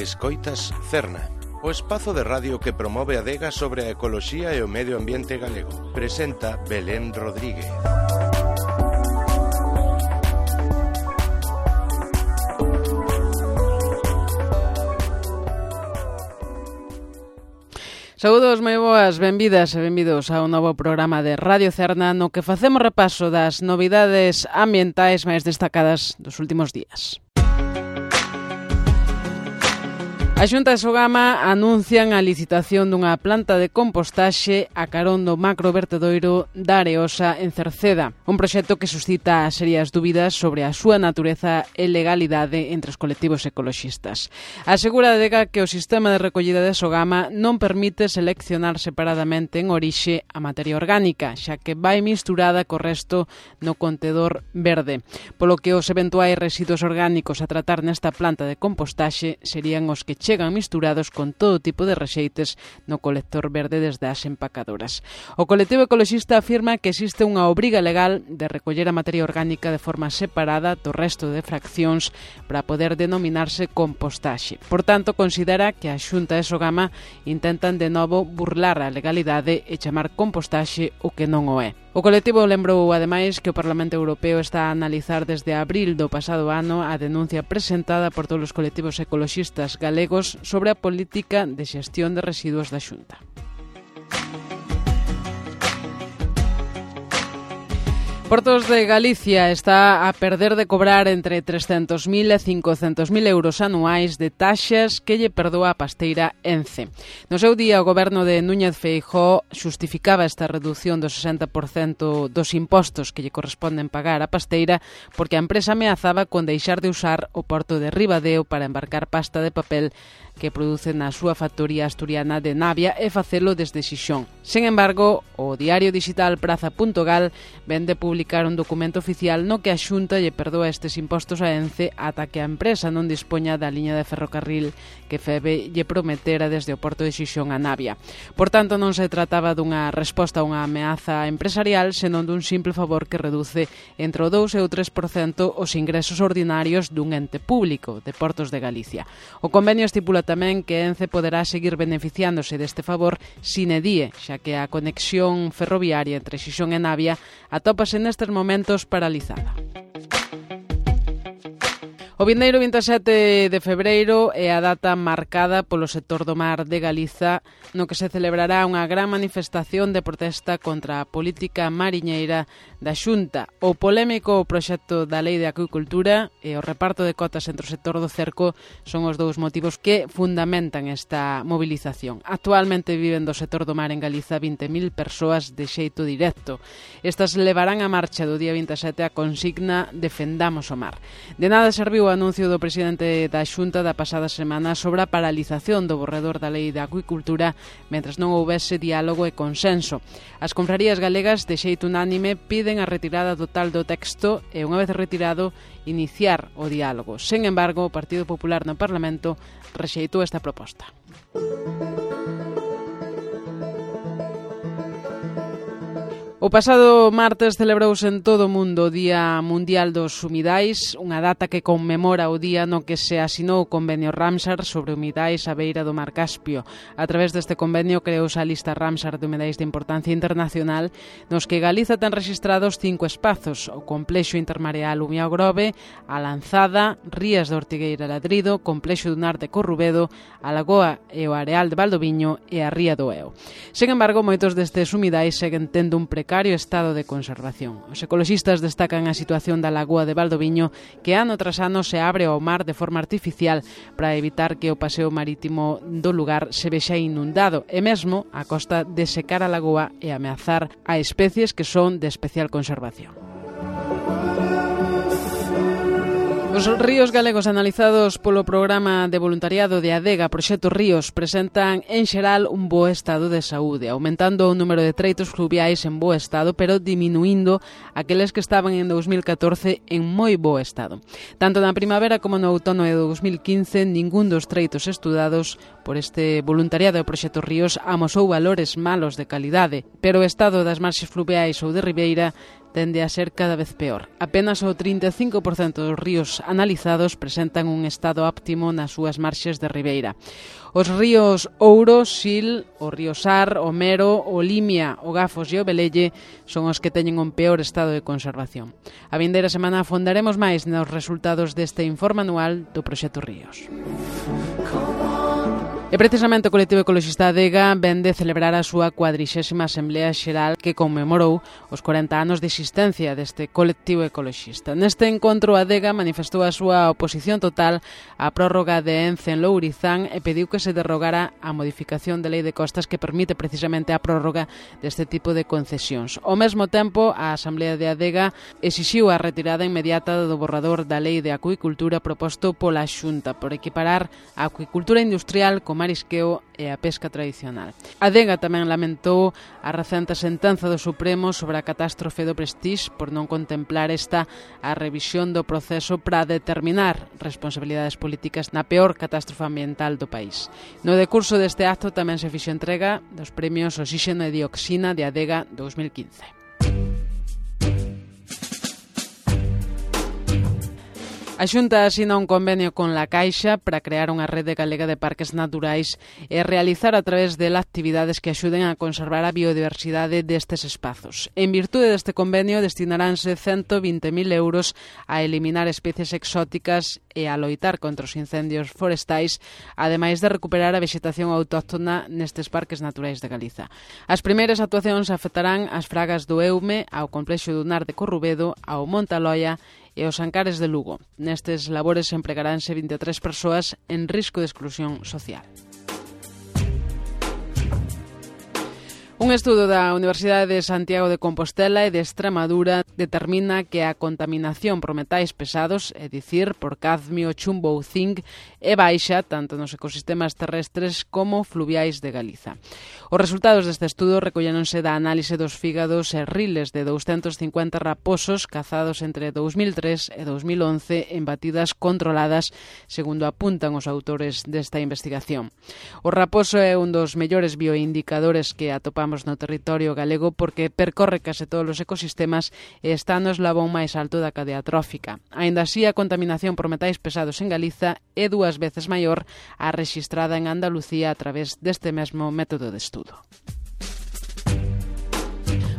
Escoitas Cerna, o espazo de radio que promove a adega sobre a ecoloxía e o medio ambiente galego. Presenta Belén Rodríguez. Saúdos moi boas, benvidas e benvidos a un novo programa de Radio Cerna no que facemos repaso das novidades ambientais máis destacadas dos últimos días. A Xunta e Sogama anuncian a licitación dunha planta de compostaxe a carón do macrovertedoiro da Areosa en Cerceda, un proxecto que suscita serias dúbidas sobre a súa natureza e legalidade entre os colectivos ecoloxistas. Asegura a adega que o sistema de recollida de Sogama non permite seleccionar separadamente en orixe a materia orgánica, xa que vai misturada co resto no contedor verde, polo que os eventuais residuos orgánicos a tratar nesta planta de compostaxe serían os que chegan misturados con todo tipo de rexeites no colector verde desde as empacadoras. O colectivo ecoloxista afirma que existe unha obriga legal de recoller a materia orgánica de forma separada do resto de fraccións para poder denominarse compostaxe. Por tanto, considera que a Xunta e Sogama intentan de novo burlar a legalidade e chamar compostaxe o que non o é. O colectivo lembrou, ademais, que o Parlamento Europeo está a analizar desde abril do pasado ano a denuncia presentada por todos os colectivos ecoloxistas galegos sobre a política de xestión de residuos da Xunta. Portos de Galicia está a perder de cobrar entre 300.000 e 500.000 euros anuais de taxas que lle perdoa a pasteira Ence. No seu día, o goberno de Núñez Feijóo xustificaba esta reducción do 60% dos impostos que lle corresponden pagar a pasteira porque a empresa ameazaba con deixar de usar o porto de Ribadeo para embarcar pasta de papel que produce na súa factoría asturiana de Navia e facelo desde Xixón. Sen embargo, o diario digital Praza.gal vende publicar un documento oficial no que a Xunta lle perdoa estes impostos a Ence ata que a empresa non dispoña da liña de ferrocarril que Feve lle prometera desde o porto de Xixón a Navia. Por tanto, non se trataba dunha resposta a unha ameaza empresarial, senón dun simple favor que reduce entre o 2 e o 3% os ingresos ordinarios dun ente público de Portos de Galicia. O convenio estipula tamén que Ence poderá seguir beneficiándose deste favor sine die, xa que a conexión ferroviaria entre Xixón e Navia atópase nestes momentos paralizada. O vindeiro 27 de febreiro é a data marcada polo sector do mar de Galiza no que se celebrará unha gran manifestación de protesta contra a política mariñeira da Xunta. O polémico proxecto da Lei de Acuicultura e o reparto de cotas entre o sector do cerco son os dous motivos que fundamentan esta movilización. Actualmente viven do sector do mar en Galiza 20.000 persoas de xeito directo. Estas levarán a marcha do día 27 a consigna Defendamos o mar. De nada serviu o anuncio do presidente da Xunta da pasada semana sobre a paralización do borrador da Lei de Acuicultura mentres non houbese diálogo e consenso. As confrarías galegas de xeito unánime piden a retirada total do texto e, unha vez retirado, iniciar o diálogo. Sen embargo, o Partido Popular no Parlamento rexeitou esta proposta. O pasado martes celebrouse en todo o mundo o Día Mundial dos Humidais, unha data que conmemora o día no que se asinou o convenio Ramsar sobre humidais á beira do Mar Caspio. A través deste convenio creouse a lista Ramsar de humidais de importancia internacional, nos que Galiza ten rexistrados 5 espazos: o complexo intermareal Umiao Grove, a Lanzada, Rías de Ortigueira Ladrido, complexo dunar de Corrubedo, a Lagoa e o areal de Valdoviño e a Ría do Eo. Sen embargo, moitos destes humidais seguen tendo un precario estado de conservación. Os ecoloxistas destacan a situación da Lagoa de Valdoviño, que ano tras ano se abre ao mar de forma artificial para evitar que o paseo marítimo do lugar se vexa inundado e mesmo a costa de secar a lagoa e ameazar a especies que son de especial conservación. Os ríos galegos analizados polo programa de voluntariado de Adega Proxecto Ríos presentan en xeral un bo estado de saúde, aumentando o número de treitos fluviais en bo estado, pero diminuindo aqueles que estaban en 2014 en moi bo estado. Tanto na primavera como no outono de 2015, ningún dos treitos estudados por este voluntariado de Proxecto Ríos amosou valores malos de calidade, pero o estado das marxes fluviais ou de ribeira tende a ser cada vez peor. Apenas o 35% dos ríos analizados presentan un estado óptimo nas súas marxes de ribeira. Os ríos Ouro, Sil, o río Sar, o Mero, o Limia, o Gafos e o Velelle son os que teñen un peor estado de conservación. A vindeira semana afondaremos máis nos resultados deste informe anual do Proxecto Ríos. E precisamente o colectivo ecoloxista Adega vén de celebrar a súa 40ª Asamblea Xeral que conmemorou os 40 anos de existencia deste colectivo ecoloxista. Neste encontro, Adega manifestou a súa oposición total á prórroga de Ence en Lourizán e pediu que se derrogara a modificación da Lei de Costas que permite precisamente a prórroga deste tipo de concesións. Ao mesmo tempo, a Asamblea de Adega exixiu a retirada inmediata do borrador da Lei de Acuicultura proposto pola Xunta por equiparar a acuicultura industrial con marisqueo e a pesca tradicional. Adega tamén lamentou a recente sentenza do Supremo sobre a catástrofe do Prestige por non contemplar esta a revisión do proceso para determinar responsabilidades políticas na peor catástrofe ambiental do país. No decurso deste acto tamén se fixo entrega dos premios Oxígeno e Dioxina de Adega 2015. A Xunta asina un convenio con la Caixa para crear unha rede galega de parques naturais e realizar a través dela actividades que axuden a conservar a biodiversidade destes espazos. En virtude deste convenio destinaránse 120.000 euros a eliminar especies exóticas e a loitar contra os incendios forestais, ademais de recuperar a vexetación autóctona nestes parques naturais de Galiza. As primeiras actuacións afectarán as fragas do Eume, ao complexo dunar de Corrubedo, ao Monte Aloia e os Ancares de Lugo. Nestes labores empregaránse 23 persoas en risco de exclusión social. Un estudo da Universidade de Santiago de Compostela e de Extremadura determina que a contaminación por metais pesados, é dicir, por cadmio, chumbo ou zinc, é baixa tanto nos ecosistemas terrestres como fluviais de Galiza. Os resultados deste estudo recolléronse da análise dos fígados e riles de 250 raposos cazados entre 2003 e 2011 en batidas controladas, segundo apuntan os autores desta investigación. O raposo é un dos mellores bioindicadores que atopamos no territorio galego porque percorre case todos os ecosistemas e está no eslabón máis alto da cadea trófica. Aínda así, a contaminación por metais pesados en Galiza é 2 veces maior a rexistrada en Andalucía a través deste mesmo método de estudo.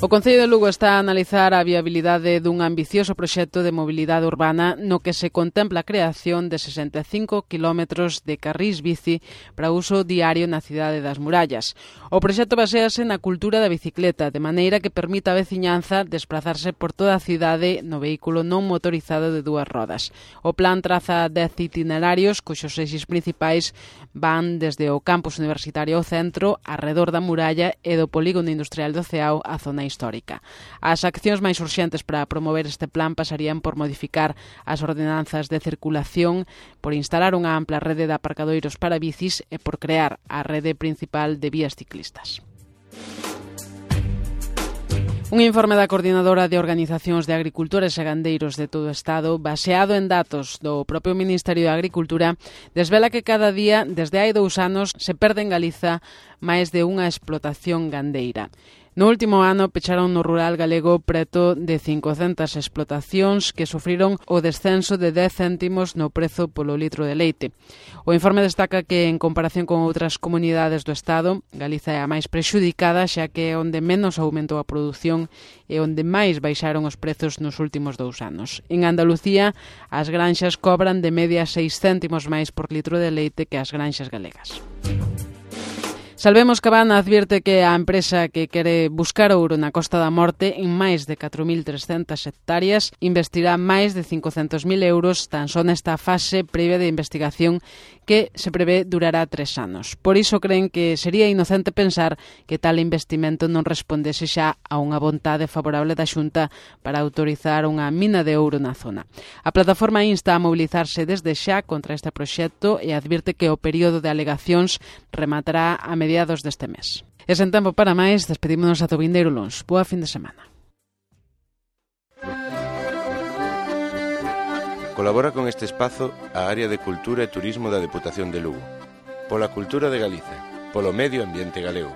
O Concello de Lugo está a analizar a viabilidade dun ambicioso proxecto de mobilidade urbana no que se contempla a creación de 65 kilómetros de carrís bici para uso diario na cidade das Murallas. O proxecto baséase na cultura da bicicleta, de maneira que permita a veciñanza desplazarse por toda a cidade no vehículo non motorizado de 2 rodas. O plan traza 10 itinerarios, cuxos eixes principais van desde o campus universitario ao centro, arredor da muralla e do polígono industrial do Ceao á zona histórica. As accións máis urxentes para promover este plan pasarían por modificar as ordenanzas de circulación, por instalar unha ampla rede de aparcadoiros para bicis e por crear a rede principal de vías ciclistas. Un informe da Coordinadora de Organizacións de Agricultores e Gandeiros de todo o Estado, baseado en datos do propio Ministerio de Agricultura, desvela que cada día, desde hai 2 anos, se perde en Galiza máis de unha explotación gandeira. No último ano pecharon no rural galego preto de 500 explotacións que sufriron o descenso de 10 céntimos no prezo polo litro de leite. O informe destaca que, en comparación con outras comunidades do Estado, Galiza é a máis prexudicada, xa que é onde menos aumentou a produción e onde máis baixaron os prezos nos últimos 2 anos. En Andalucía, as granxas cobran de media 6 céntimos máis por litro de leite que as granxas galegas. Salvemos Cabana advierte que a empresa que quere buscar ouro na Costa da Morte en máis de 4.300 hectáreas investirá máis de 500.000 euros tan só nesta fase previa de investigación que se prevé durará 3 anos. Por iso creen que sería inocente pensar que tal investimento non respondese xa a unha vontade favorable da Xunta para autorizar unha mina de ouro na zona. A plataforma insta a mobilizarse desde xa contra este proxecto e advirte que o período de alegacións rematará a mediados deste mes. E sen tempo para máis, despedímonos ata o vindeiro luns. Boa fin de semana. Colabora con este espazo a Área de Cultura e Turismo da Deputación de Lugo. Pola cultura de Galiza, polo medio ambiente galego.